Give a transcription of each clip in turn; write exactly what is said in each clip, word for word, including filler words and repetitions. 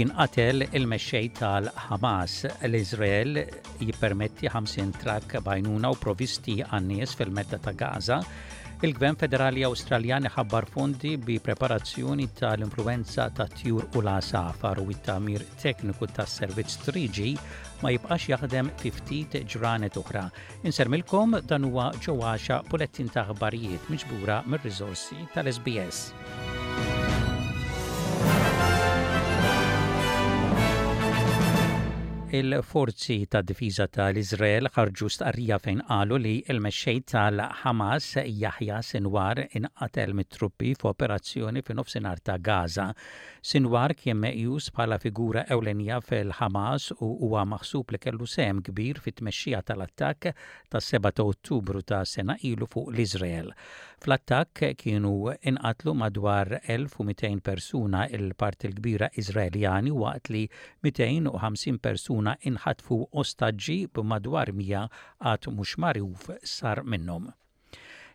Jinqatel il-mexxej tal-Hamas. L-Izrael jippermetti ħamsin trakk b'għajnuna u provisti għan-nies fil-medda ta' Gaza. Il-Gvern Federali Awstraljan ħabbar fondi bi preparazzjoni tal-influenza ta' tjur u l-għasafar u it-tagħmir tekniku tas-servizz three G ma jibqax jaħdem fi ftit ġranet oħra. Insellmilkom, dan huwa ġewwaxa bulettin ta' aħbarijiet miġbura mir-riżorsi tal-S B S. Il-forzi ta' difiża tal-Izrael ħarġu stqarrija fejn qalu li il-mexxej tal-Hamas Yahya Sinwar inqatel mit-truppi f'operazzjoni fi nofsinhar ta' Gaza. Sinwar kien meqjus bħala figura ewlenija fil-Hamas u huwa maħsub li kellu sehem kbir fit-tmexxija tal-attakk tas-sebgħa ta' Ottubru ta' sena ilu fuq l-Izrael. Fl-attakk kienu inqatlu madwar elf u mitejn persuna, il-parti l-kbira Izraeljani, waqt li mitejn u ħamsin persuna inħatfu ostaġġi, b'madwar mija għad mhux magħruf sar minnhom.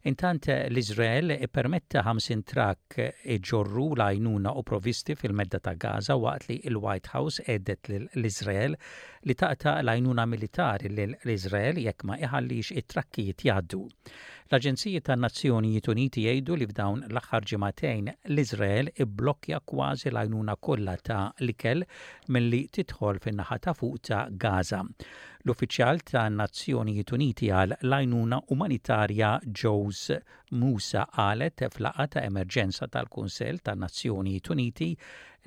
Intant, l-Izrael permetta ħamsin trakk iġorru l-għajnuna u provisti fil-medda ta' Gaza, waqt li il-White House għedet l-Izrael li taqta' l-għajnuna militari l-Izrael jekk ma iħallix it-trakkijiet jgħaddu. L-Aġenziji tan-Nazzjonijiet Uniti jgħidu li f'dawn l-aħħar ġimagħtejn l-Izrael iblokkja kważi l-għajnuna kollha ta' l-ikel milli tidħol fin-naħa ta' fuq ta' Gaza. L-uffiċjal ta' Nazzjonijiet Uniti għal l-għajnuna umanitarja Jose Musa qalet f'laqgħa ta' emerġenza tal-Kunsell ta' Nazzjonijiet Uniti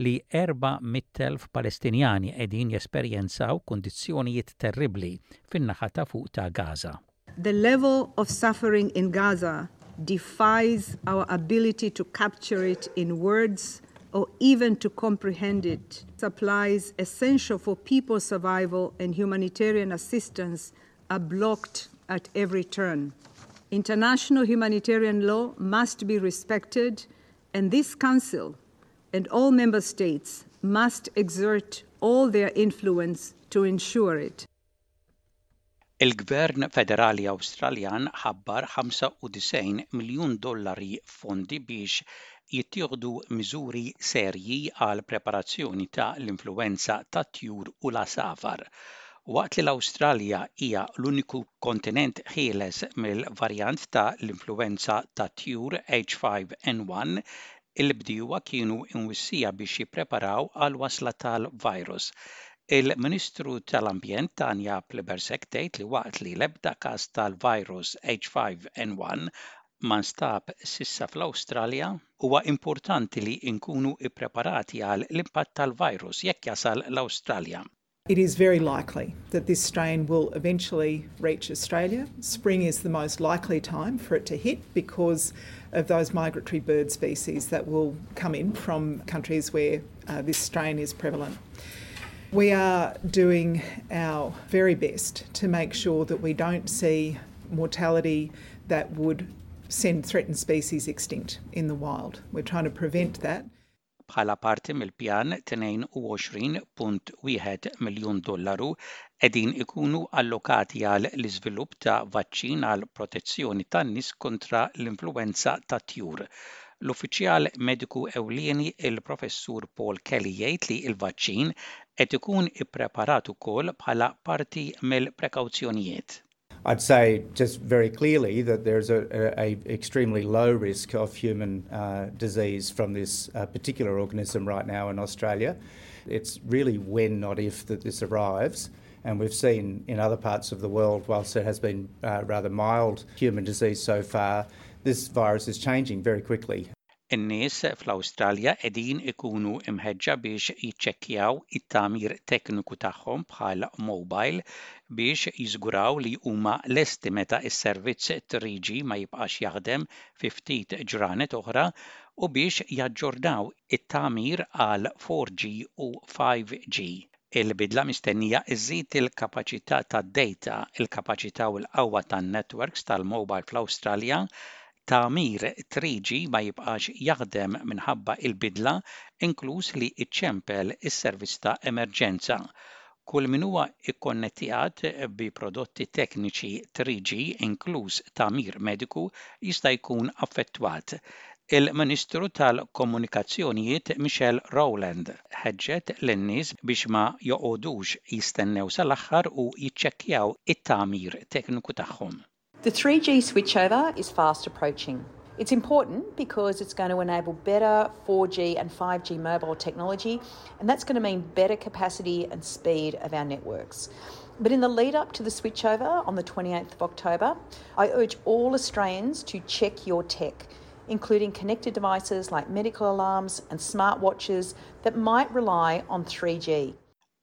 li erba' mitt elf Palestinjani qegħdin jesperjenzaw kundizzjonijiet terribbli fin-naħa ta' fuq ta' Gaza. The level of suffering in Gaza defies our ability to capture it in words or even to comprehend it. Supplies essential for people's survival and humanitarian assistance are blocked at every turn. International humanitarian law must be respected, and this Council and all member states must exert all their influence to ensure it. Il-Gvern Federali Awstraljan ħabbar ħamsa u disgħin miljun dollari fondi biex jittieħdu miżuri serji għal preparazzjoni ta' l-influenza tat-tjur u l-għasafar. Waqt li l-Awstralja hija l-uniku kontinent ħieles mill-varjant ta' l-influenza tat-tjur H five N one, il-bdiewa kienu imwissija biex jippreparaw għal wasla tal-virus. Il-Ministru tal-Ambjent Tanya Plibersek tgħid li waqt li l-ebda każ tal-virus H five N one ma nstab s'issa fl-Awstralja, huwa importanti li nkunu ippreparati għal l-impatt tal-virus jekk jasal l-Awstralja. It is very likely that this strain will eventually reach Australia. Spring is the most likely time for it to hit because of those migratory bird species that will come in from countries where uh, this strain is prevalent. We are doing our very best to make sure that we don't see mortality that would send threatened species extinct in the wild. We're trying to prevent that. Bħala parti mill-pjan, tnejn u għoxrin punt wieħed miljun dollaru qegħdin ikunu allokati għal l-iżvilupp ta' vaċċin għal protezzjoni tan-nies kontra l-influenza tat-tjur. L-uffiċjal mediku ewlieni, il-Professur Paul Kelly, jgħid li l-vaċċin qed ikun ippreparat ukoll bħala parti mill-prekawzjonijiet. I'd say just very clearly that there's a, a, a extremely low risk of human uh, disease from this uh, particular organism right now in Australia. It's really when, not if, that this arrives. And we've seen in other parts of the world, whilst there has been uh, rather mild human disease so far, this virus is changing very quickly. In-nies fl-Awstralja qegħdin ikunu imħeġġa biex jiċċekkjaw it-tagħmir tekniku tagħhom bħal mobile biex jiżguraw li huma lesti meta s-servizz three G ma jibqax jaħdem fi ftit ġranet oħra u biex jaġġornaw it-tagħmir għal four G u five G. Il-bidla mistennija iżid il-kapaċità tad-data, il-kapaċità u l-qawwa tan-networks tal-mobile fl-Awstralja. Tagħmir three G ma jibqax jaħdem minħabba il-bidla, inkluż li iċċempel is-servizz ta' emerġenza. Kull min huwa ikkonnettjat bi prodotti tekniċi three G, inkluż tagħmir mediku, jista' jkun affettwat. Il-Ministru tal-Komunikazzjonijiet Michelle Rowland ħeġġet lin-nies biex ma joqogħdux jistennew sal-aħħar u jiċċekkjaw it-tagħmir tekniku tagħhom. The three G switchover is fast approaching. It's important because it's going to enable better four G and five G mobile technology, and that's going to mean better capacity and speed of our networks. But in the lead up to the switchover on the twenty-eighth of October, I urge all Australians to check your tech, including connected devices like medical alarms and smartwatches that might rely on three G.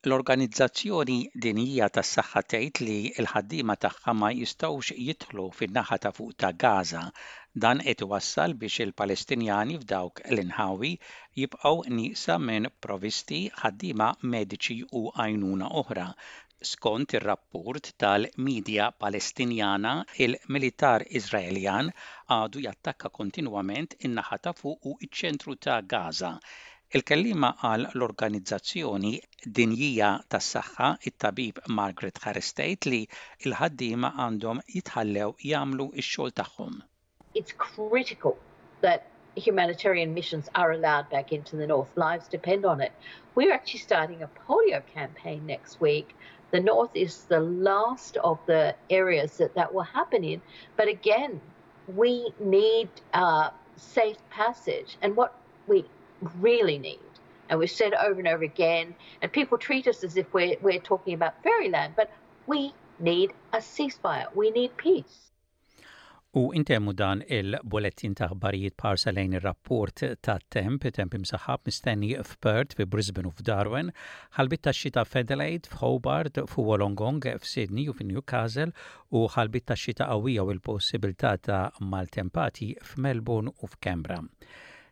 L-Organizzazzjoni Dinjija tas-Saħħa tgħid li l-ħaddiema tagħha ma jistgħux jidħlu fin-naħa ta' fuq ta' Gaza. Dan qed iwassal biex il-Palestinjani f'dawk l-inħawi jibqgħu nieqsa minn provisti, ħaddiema mediċi u għajnuna oħra. Skont ir-rapport tal-midja Palestinjana, il-militar Iżraeljan għadu jattakka kontinwament in-naħa ta' fuq u ċ-ċentru ta' Gaza. Il-kellima għal l-Organizzazzjoni Dinjija tas-Saħħa, it-tabib Margaret Harris, tgħid li l-ħaddiema għandhom jitħallew jagħmlu x-xogħol tagħhom. It's critical that humanitarian missions are allowed back into the north. Lives depend on it. We're actually starting a polio campaign next week. The north is the last of the areas that that will happen in. But again, we need uh, safe passage. And what we really need, and we've said over and over again, and people treat us as if we're, we're talking about fairyland, but we need a ceasefire. We need peace. U intemmu dan il-bulettin ta' aħbarijiet b'ħarsa lejn ir-rapport ta' temp, temp imsaħħab mistenni f'Perth, fi Brisbane u f'Darwin, ħalbiet ta' xita f'Adelaide, f'Hobart, f'Wollongong, f'Sydney u f'Newcastle u ħalbiet ta' xita qawwija u l-possibilità ta' maltempati f'Melbourne u f'Canberra.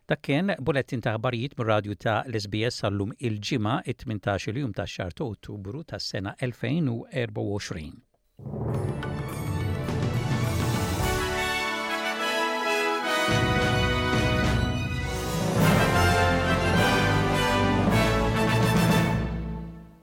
Dak kien bulettin ta' aħbarijiet mir-radju ta' l-S B S għal-lum il-Ġimgħa it-tmintax-il jum ta' xahar ta' Ottubru tas-sena elfejn u erbgħa u għoxrin.